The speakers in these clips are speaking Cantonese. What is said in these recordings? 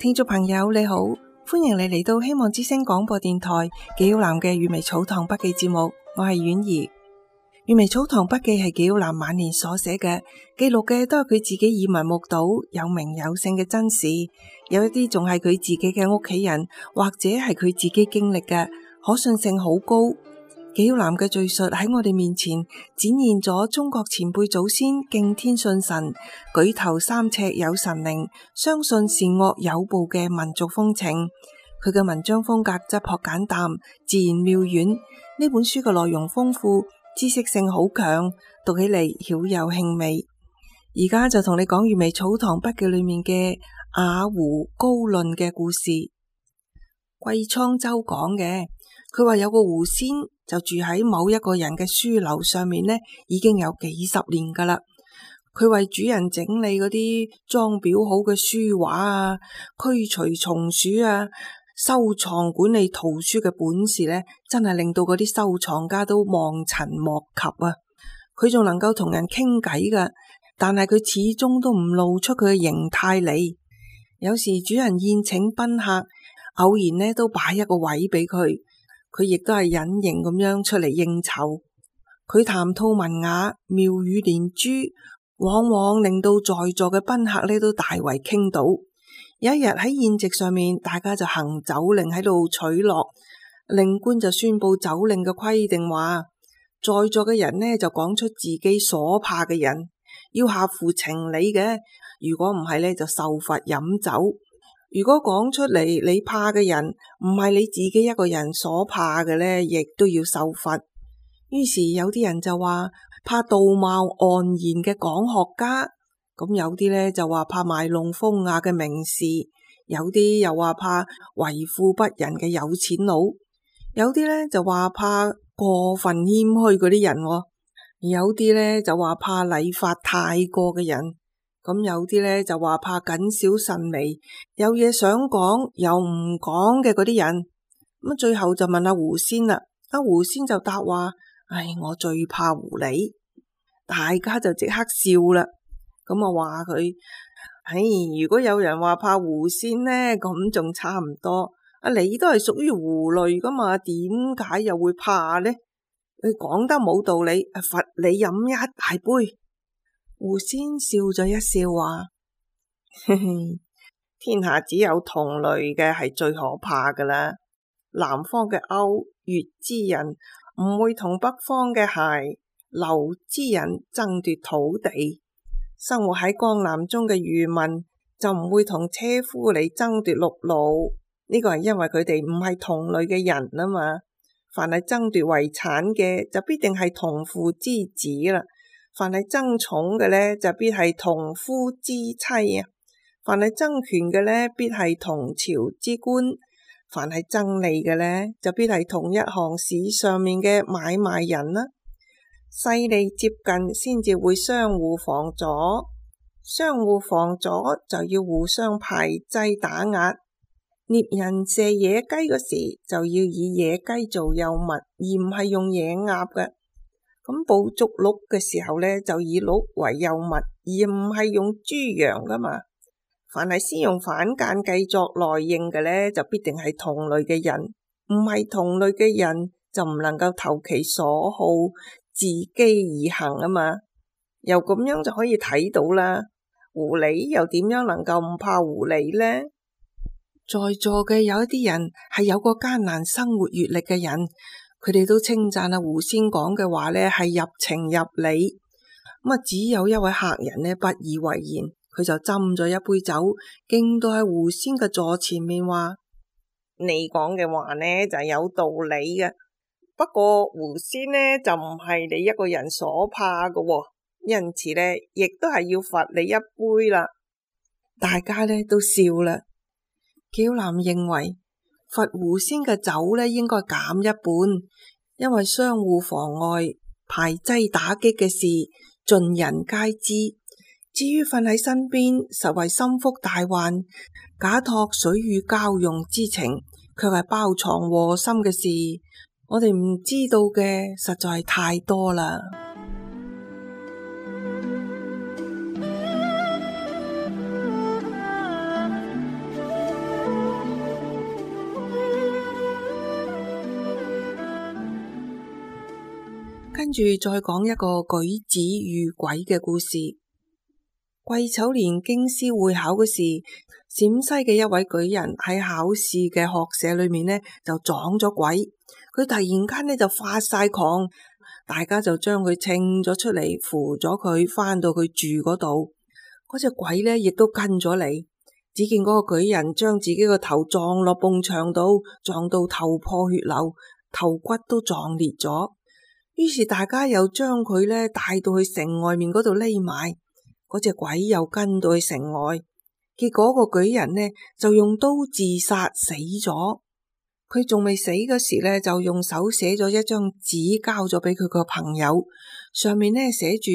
聽眾朋友你好，歡迎你嚟到希望之聲廣播電台紀曉嵐嘅閱微草堂筆記節目，我係婉兒。閱微草堂筆記係紀曉嵐晚年所寫嘅，記錄嘅都係佢自己耳聞目睹有名有姓嘅真事，有一啲仲係佢自己嘅屋企人或者係佢自己經歷嘅，可信性好高。紀曉嵐嘅敘述喺我哋面前展現咗中國前輩祖先敬天信神、舉頭三尺有神靈、相信善惡有報嘅民族風情。佢嘅文章風格質樸簡淡、自然妙遠。呢本書嘅內容豐富，知識性好強，讀起嚟曉有興味。而家就同你講閱微草堂筆記裏面嘅雅湖高論嘅故事。季滄州講嘅，佢話有個狐仙就住喺某一個人嘅書樓上面呢，已經有幾十年噶啦。佢為主人整理嗰啲裝裱好嘅書畫啊，驅除蟲鼠啊，收藏管理圖書嘅本事呢，真係令到嗰啲收藏家都望塵莫及啊！佢仲能夠同人傾偈噶，但係佢始終都唔露出佢嘅形態嚟。有時主人宴請賓客，偶然呢都擺一個位俾佢。佢亦都係隱形咁樣出嚟應酬，佢談吐文雅，妙語連珠，往往令到在座嘅賓客呢都大為傾倒。有一日喺宴席上面，大家就行酒令喺度取樂，令官就宣布酒令嘅規定話，在座嘅人呢就講出自己所怕嘅人，要合乎情理嘅，如果唔係呢就受罰飲酒。如果講出嚟你怕嘅人唔係你自己一個人所怕嘅呢，亦都要受罰。於是有啲人就話怕道貌岸然嘅講學家，咁有啲呢就話怕賣弄風雅嘅名士，有啲又話怕為富不仁嘅有錢佬，有啲呢就話怕過分謙虛嗰啲人，有啲呢就話怕禮法太過嘅人。咁有啲呢就話怕謹小慎微，有嘢想講又唔講嘅嗰啲人。咁最後就問阿狐仙啦，阿狐仙就答話：我最怕狐狸。大家就即刻笑啦。咁話佢：如果有人話怕狐仙呢，咁仲差唔多。你都係屬於狐類噶嘛，點解又會怕呢？你講得冇道理，罰你飲一大杯。狐仙笑咗一笑話：天下只有同類嘅係最可怕噶啦。南方嘅歐越之人唔會同北方嘅諧劉之人爭奪土地，生活喺江南中嘅漁民就唔會同車夫嚟爭奪陸路。呢個係因為佢哋唔係同類嘅人啊嘛。凡係爭奪遺產嘅就必定係同父之子啦。凡係爭寵嘅呢，就必係同夫之妻啊；凡係爭權嘅呢，必係同朝之官；凡係爭利嘅呢，就必係同一行市上面嘅買賣人啦。勢利接近先至會相互防阻，相互防阻就要互相排擠打壓。獵人射野雞嗰時就要以野雞做誘物，而唔係用野鴨嘅。咁捕捉鹿嘅時候呢，就以鹿為誘物，而唔係用豬羊噶嘛。凡係先用反間計作內應嘅呢，就必定係同類嘅人，唔係同類嘅人就唔能夠投其所好，自己而行啊嘛。又咁樣就可以睇到啦，狐狸又點樣能夠唔怕狐狸呢？在座嘅有一啲人係有個艱難生活閱歷嘅人，佢哋都稱讚阿狐仙講嘅話呢係入情入理。只有一位客人呢不以為然，佢就斟咗一杯酒，敬到喺狐仙嘅座前面話：你講嘅話呢就係有道理嘅，不過狐仙呢就唔係你一個人所怕嘅，因此呢亦都係要罰你一杯啦。大家呢都笑啦。紀曉嵐認為罰狐仙嘅酒呢應該減一半，因為相互妨礙、排擠打擊嘅事盡人皆知。至於瞓喺身邊實為心腹大患，假託水乳交融之情，卻係包藏禍心嘅事，我哋唔知道嘅實在係太多啦。跟住再講一個舉子遇鬼嘅故事。癸丑年京師會考嗰時，陝西嘅一位舉人喺考試嘅學舍裏面呢就撞咗鬼，佢突然間呢就發晒狂，大家就將佢稱咗出嚟，扶咗佢返到佢住嗰度。嗰隻鬼呢亦都跟咗嚟，只見嗰個舉人將自己個頭撞落埲牆度，撞到頭破血流，頭骨都撞裂咗。於是大家又將佢呢帶到去城外面嗰度匿埋。嗰隻鬼又跟到去城外，結果個舉人呢就用刀自殺死咗。佢仲未死嗰時呢，就用手寫咗一張紙交咗俾佢個朋友，上面呢寫住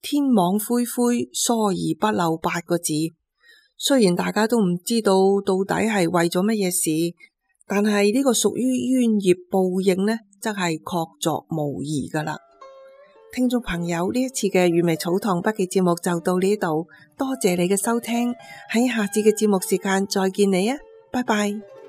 天網恢恢，疏而不漏8個字。雖然大家都唔知道到底係為咗乜嘢事，但係呢個屬於冤孽報應呢，則係確鑿無疑噶啦。聽眾朋友，呢一次嘅粵微草堂筆記節目就到呢度，多謝你嘅收聽，喺下次嘅節目時間再見你啊，拜拜。